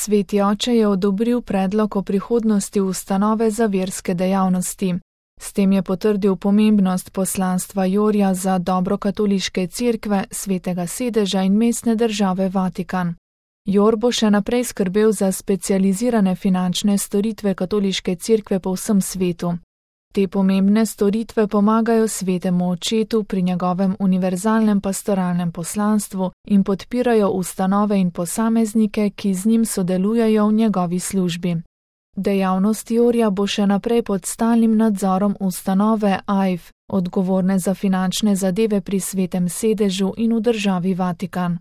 Sveti oče je odobril predlog o prihodnosti ustanove za verske dejavnosti. S tem je potrdil pomembnost poslanstva Jorja za dobro katoliške cerkve, svetega sedeža in mestne države Vatikan. Jor bo še naprej skrbel za specializirane finančne storitve katoliške cerkve po vsem svetu. Te pomembne storitve pomagajo svetemu očetu pri njegovem univerzalnem pastoralnem poslanstvu in podpirajo ustanove in posameznike, ki z njim sodelujejo v njegovi službi. Dejavnost Jorja bo še naprej pod stalnim nadzorom ustanove AIF, odgovorne za finančne zadeve pri svetem sedežu in v državi Vatikan.